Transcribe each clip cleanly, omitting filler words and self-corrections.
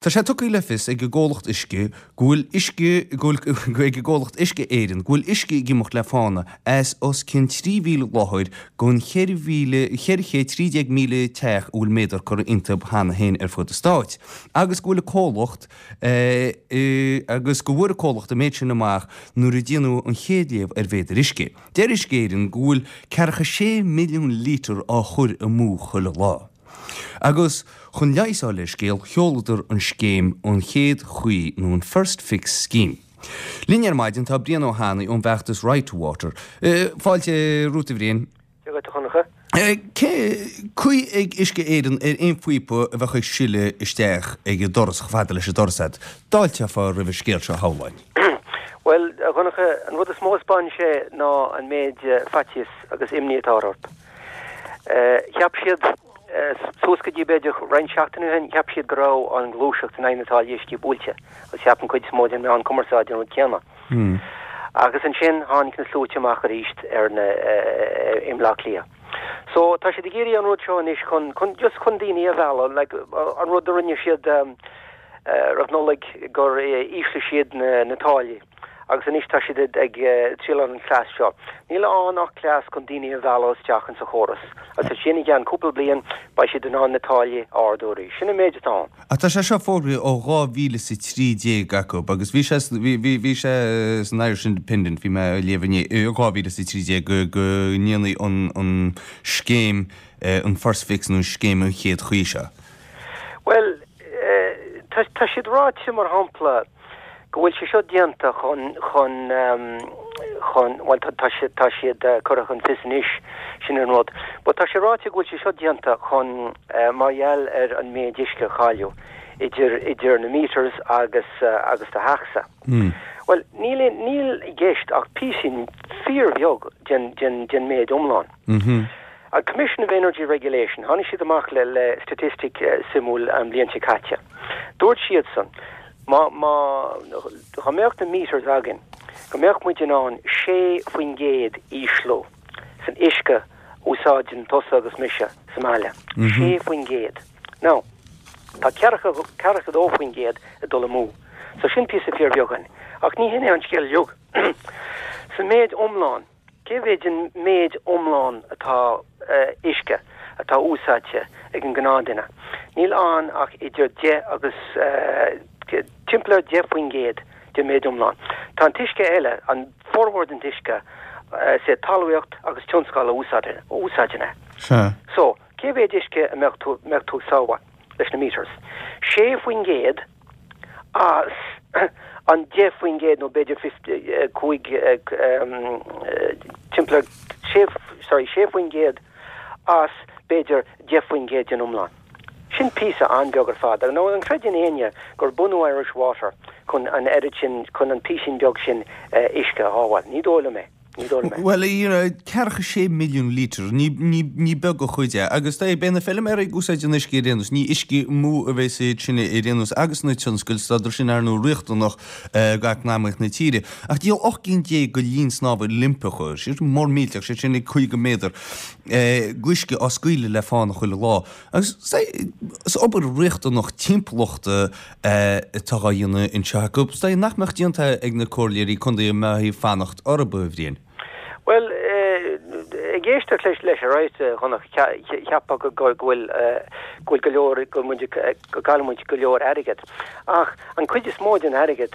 Tá sé tugtha le fios ag an gcomhlacht uisce go bhfuil uisce go bhfuil ag an gcomhlacht Uisce Éireann go bhfuil uisce ag imeacht le fána as os cionn 3,000 láthair den 413,000 teach a bhfuil méadar curtha iontu cheana féin ar fud an stáit agus go bhfuil an comhlacht agus go bhfuair an comhlacht an méid sin amach nuair a déanadh an chéad léamh ar mhéadair uisce. Deir Uisce Éireann go bhfuil ceathracha sé milliún lítear á chur amú chuile lá. Agus chun leigheas a fháil ar an scéal, sheoladar an scéim An Chéad Chaoi nó an First Fix Scheme. Linn ar maidin tá Brian Ó hAnnaidh ón bhfeachtas Right to Water. Fáilte romhat a Bhriain. Dia dhuit a Dhonncha. Cén chaoi ag Uisce Éireann ar aon phíopa a bheadh ag sileadh isteach ag an doras, chomh fada leis an doras agat? D'fháilteofá roimh an scéal seo, shamhlóinn. Bhuel, a Dhonncha, an rud is mó a 'spáineann sé ná an méid faitíos agus imní atá orthu. Cheap siad, suas go dtí b'fhéidir roinnt seachtainí ó shin, cheap siad go raibh an ghluaiseacht in aghaidh na táillí uisce buailte agus cheap an chuid is mó den mheán cumarsáide an rud céanna. Agus ansin tháinig na sluaite amach arís ar na, i mBleá Cliath. So tá siad ag iarraidh an rud seo anois chun, chun, just chun daoine a mhealladh, like an rud a rinne siad roimh Nollaig gur ísligh siad na, na táillí. Agus anois tá siad ag triail an cleas seo. Níl ann ach cleas chun daoine a mhealladh isteach insa chóras. Agus ansin i gceann cúpla bliain beidh siad in ann na táillí a ardú arís. Sin an méid atá ann. Ach tá sé seo fógraithe ó 2013 acu agus bhí sé, bhí sé san Irish Independent, bhí mé á léamh inné, i 2013 go ndéanfaí an scéim, an First Fix nó an scéim an chéad chaoi seo. Bhuel, tá siad ráite mar shampla, go bhfuil sé seo déanta chun, chun, chun, bhuel tá, tá siad, tá siad curtha chun fios anois, sin an rud. But tá sé ráite go bhfuil sé seo déanta chun, mar gheall ar an méid uisce a cailleadh idir, idir na meters agus, agus do theachsa. Bhuel, níl, níl i gceist ach píosín fíorbheag den, den, den méid iomlán. An Commission of Energy Regulation, tháinig siad amach le, le statistic suimiúil an bhliain seo caite. Dúirt siadsan, Má, má, dá mbeadh na meters againn, go mbeadh muid in ann 6% ísliú san uisce a úsáideann tusa agus mise sa mbaile. 6%. Now, tá ceathracha, 42% ag dul amú. So sin píosa fíorbheag. Ach ní hin é an scéal uilig. Sa méid iomlán, Cé mhéid an méid iomlán atá uisce atá úsáidte ag an gnáthduine? Níl ann ach idir 10 agus timpeall ar 10% den méid iomlán. Tá an t-uisce eile, an formhór den t-uisce, is é talmhaíocht agus tionscal a úsáideann é. So, cé mhéid uisce a mbeadh tú mbeadh tú ag sábháil leis na meters? 6% as an 10% nó b'fhéidir 5, timpeall ar 6, sorry, 6% as b'fhéidir 10% den iomlán. Sin píosa an-bheag ar fad. Nó an gcreideann éinne gur bunú Irish Water chun an oiread sin, chun an písín beag sin uisce a shábháil? Ní dóigh liom é. Ní dóigh liom é. Bhuel, you know, ceathracha sé milliún lítear, ní, ní, ní beag an chuid é. Agus tá, beidh na feilméaraí ag úsáid an uisce ar aon nós, ní uisce amú a bheas iad sin ar aon nós agus na tionscail, tá sin ar ndóigh riachtanach d'eacnamaíocht na tíre. Ach díol 18 gcinn de linn snámha Oilimpeacha, sé sin mór millteach, sé sin ag 50 méadar, d'uisce á scaoileadh le fána chuile lá. Agus is obair riachtanach timpeallachta atá á dhéanamh anseo acu, is dóigh nach mbeadh déanta ag na comhairleoirí contae dá mbeifí ag fanacht orthu, a Bhriain. Bhuel, ag éisteacht leis leis ar aghaidh, a Dhonncha, cheapfá go bhfuil go bhfuil go leor, go muid go gcailleann muid go leor airgead. Ach an cuid is mó den airgead,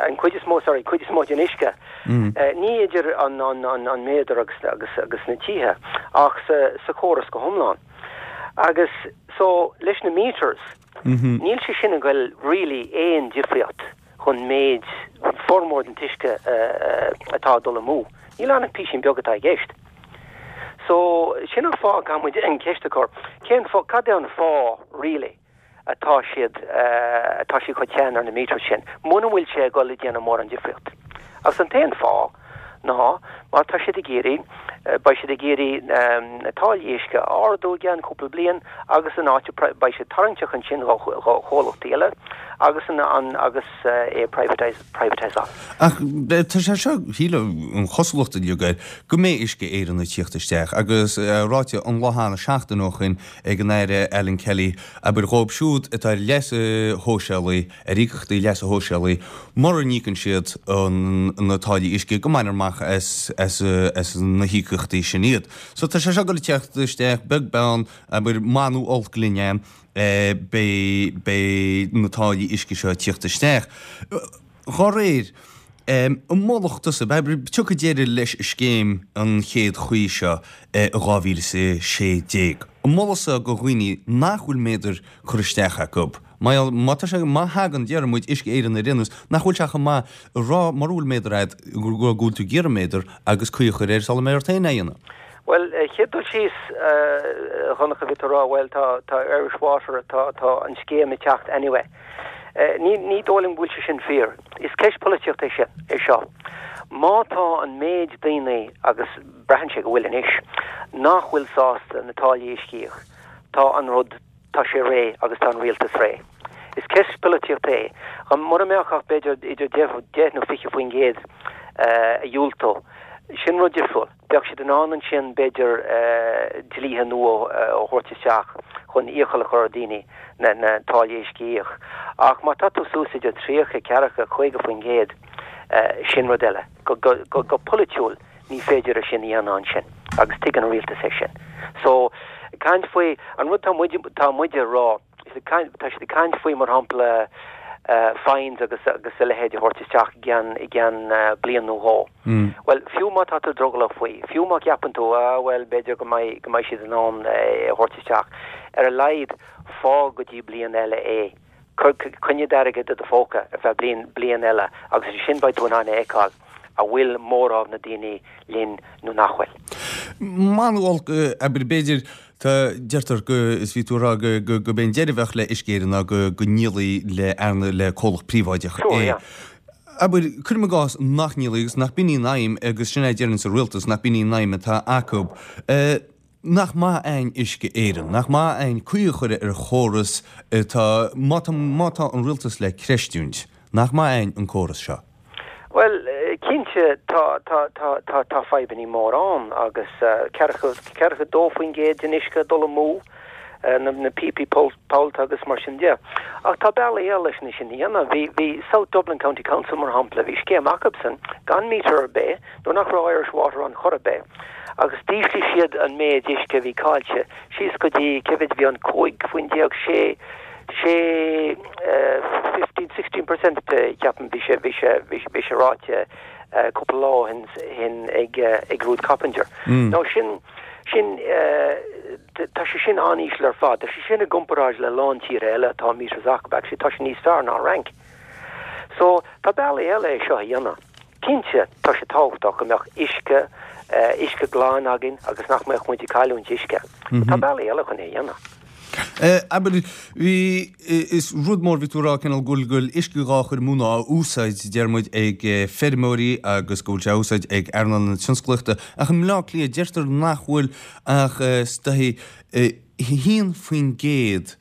an cuid is mó, sorry, cuid is mó den uisce, ní idir an an méadar agus agus agus na tithe ach sa sa chóras go hiomlán. Agus so leis na meters, Níl sé sin ag goil really aon difríocht chun méid formhór den t-uisce atá ag dul amú. Níl ann ach písín beag atá i gceist. So, sin an fáth a gcaithfidh muid an cheist a chur, cén fáth, cad é an fáth really atá siad, atá siad chomh teann ar na meters sin, muna bhfuil sé ag dul ag déanamh mórán difríocht. Agus an t-aon fáth ná mar tá siad ag iarraidh, beidh siad ag iarraidh na táillí uisce a ardú i gceann cúpla bliain agus an áit beidh siad tarraingteach ansin do chomhlachtaí eile. Agus an, an, agus é a privatise, privatiseáil. Ach tá sé seo, shílfeá, an chosúlacht uilig air, go mbeidh Uisce Éireann ag tíocht isteach agus ráite an lá cheana, seachtain ó shoin, ag an Aire Alan Kelly, abair dhóibh siúd atá ar leasa shóisialaigh, ar íocaíochtaí leasa shóisialaigh, mura n-íocann siad na táillí uisce, go mbainfear amach as, as, as na híocaíochtaí sin iad. So tá sé seo ag dul ag tíocht isteach, beag beann, abair, maith nó olc linn é, beidh, beidh na táillí uisce seo ag tíocht isteach. Dhá réir, an molfadh tusa, abair, tiocfaidh deireadh leis an scéim an chéad chaoi seo i 2016. An molfá go dhaoine nach bhfuil méadar curtha isteach acu, má, má tá sé, má thagann, déarfaidh muid, Uisce Éireann ar aon nós, nach bhfuil sé chomh maith a rá mura bhfuil méadar agat go bhfuil tú ag iarraidh méadar agus caoi a chur air sula mbeidh ort féin é a dhéanamh. Bhuel, chéad dul síos, a Dhonncha, bhí tú ag rá, bhuel, tá, tá Irish Water, tá, tá an scéim ag teacht anyway. Ní, ní dóigh liom go bhfuil sé sin fíor. Is ceist polaitíochta é sin, é seo. Má tá an méid daoine, agus braitheann sé go bhfuil anois, nach bhfuil sásta na táillí uisce a íoc, tá an rud, tá sé réidh agus tá an rialtas réidh. Is ceist polaitíochta é. Mura mbeadh ach b'fhéidir idir 10 nó 20% a dhiúltódh, sin rud difriúil. Bheadh siad in ann ansin, b'fhéidir, dlíthe nua a thabhairt isteach chun iachall a chur ar dhaoine na táillí uisce a íoc. Ach má tá tú suas idir 30, 40, 50%, sin rud eile. Go polaitiúil, ní féidir é sin a dhéanamh ansin agus tuigeann an rialtas é sin. So, caint faoi, an rud tá muid, tá muid a rá, tá siad ag caint faoi, mar shampla, fines agus agus a leithéid a thabhairt isteach i gceann, i gceann bliain nó dhó. Bhuel, fiú má tá tú drogallach faoi, fiú má cheapann tú, ah, bhuel, b'fhéidir go mbeidh, go mbeidh siad in ann é a thabhairt isteach, ar a laghad, fág go dtí bliain eile é. Cuir, coinnigh d'airgead i do phóca ar feadh bliain, bliain eile agus ansin beidh tú in ann a fheiceáil an bhfuil mórán na daoine linn nó nach bhfuil. Maith nó olc, abair, b'fhéidir, tá, deirtear go, is bhí tú ag rá go, go, go b'é an deireadh a bheadh le Uisce Éireann ná go, go ndíolfaí le earna, le comhlacht príobháideach Sure, é. yeah. Abair, cuirim i gcás nach ndíolfaí agus nach b'in í an aidhm agus sin é a deireanns an rialtas, nach b'in í an aidhm atá acu. Nach maith a'inn Uisce Éireann? Nach maith a'inn caoi a chur ar chóras atá, má tá, má tá an rialtas le creistiúint, nach maith a'inn an córas seo? Bhuel, cinnte, tá, tá, tá, tá, tá fadhbannaí mór ann agus ceathracha, 42% den uisce ag dul amú, na, na píopaí pollta agus mar sin de. Ach tá bealaí eile leis sin a dhéanamh. Bhí, bhí South Dublin County Council, mar shampla, bhí scéim acubsan gan meter ar bith, nuair nach raibh Irish Water ann chor ar bith, agus d'ísligh siad an méid uisce a bhí caillte síos go dtí, cé mhéid a bhí ann, 15 faoin 6, 6, 15, 16% ceapaim, bhí sé, bhí sé, bhí sé ráite cúpla lá ó shin ag, ag Ruth Coppinger. Now sin, sin, tá sé sin an-íseal ar fad, tá sé sin i gcomparáid le lán tíortha eile atá meters acu, actually tá sé níos fearr ná an Fhrainc. So, tá bealaí eile é seo a dhéanamh. Cinnte, tá sé tábhachtach go mbeadh uisce, uisce glan againn agus nach mbeadh muid ag cailliúint uisce. Tá bealaí eile chun é a dhéanamh. Abair, bhí, is rud mór, bhí tú ag rá cineál go bhfuil, go bhfuil uisce dhá chur amú nó á úsáid, deir muid, ag feirmeoirí agus go bhfuil sé á úsáid ag earnáil na tionsclaíochta. Ach i mBleá Cliath, deirtear nach bhfuil ach is dóichí 1%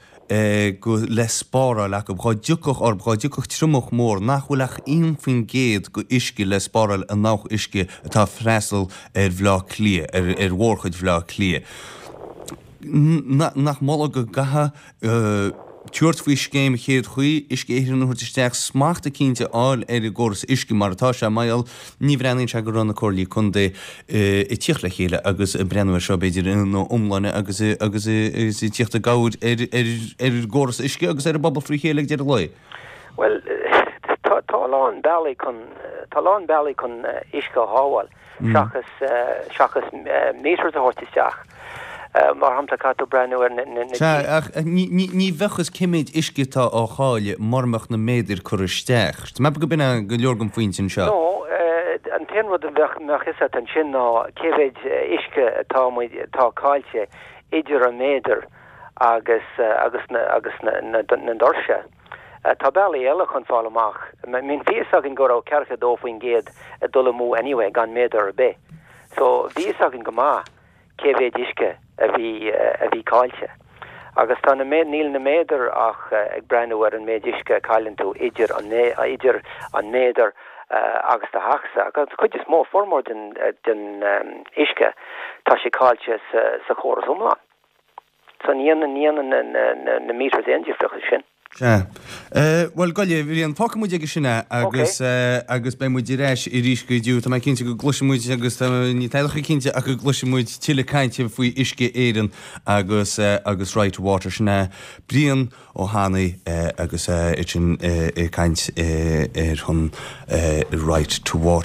go le spáráil acu, dhá dtiocfadh orb, dhá dtiocfadh triomach mór, nach bhfuil ach 1% go uisce le spáráil an abhac uisce atá ag freastal ar Bhleá Cliath, ar ar mhórchuid Bhleá Cliath. Nach moladh go gcaithfeadh tabhairt faoi scéim chéad chaoi, Uisce Éireann a thabhairt isteach, smacht eicínt a fháil ar an gcóras uisce mar atá sé, mar gheall, ní bhreathnaíonn sé go raibh na comhairlí contae ag tíocht le chéile agus ag breathnú air seo b'fhéidir ina iomláine agus agus ag tíocht i gcabhair ar ar ar an gcóras uisce agus ar an bpobal frí chéile ag deireadh an lae. Bhuel, tá tá a lán bealaí chun tá a lán bealaí chun uisce a shábháil. seachas seachas meters a thabhairt isteach. Mar shampla, caithfidh tú breathnú ar na na. Sea, ach ní ní ní bheadh fhios cé méid uisce atá á chailleadh mura mbeadh na méadair curtha isteach. Tá mé ag ceapadh go b'in é go leor den phointe anseo. No, an t-aon rud a bheadh mbeadh fhios agat ansin ná cé mhéid uisce atá muid atá caillte idir an méadar agus agus na agus na na na doirse. Tá bealaí eile chun fáil amach. I mean bhí fhios againn go raibh 42% ag dul amú anyway gan méadar ar bith. So bhí fhios againn go maith cé mhéid uisce a bhí a bhí caillte. Agus tá na, níl na méadair ach ag breathnú ar an méid uisce a chailleann tú idir an, idir an méadar agus do theachsa. Agus an chuid is mó, formhór den, den uisce, tá sé caillte sa, sa chóras iomlán. So ní dhéanann, ní dhéanann na, na, na, na meters aon difríocht sin. Sea. Bhuel, gabh i leith, a Bhriain, fágfaidh muid aige sin é agus, agus beidh muid ar ais arís go deo. Tá mé cinnte go gcloisfidh muid agus tá, ní tadhall cinnte ach go gcloisfidh muid tuilleadh cainte faoi Uisce Éireann agus, agus Right to Water. Sin é Brian Ó hAnnaidh agus é sin ag caint ar shon Right to Water.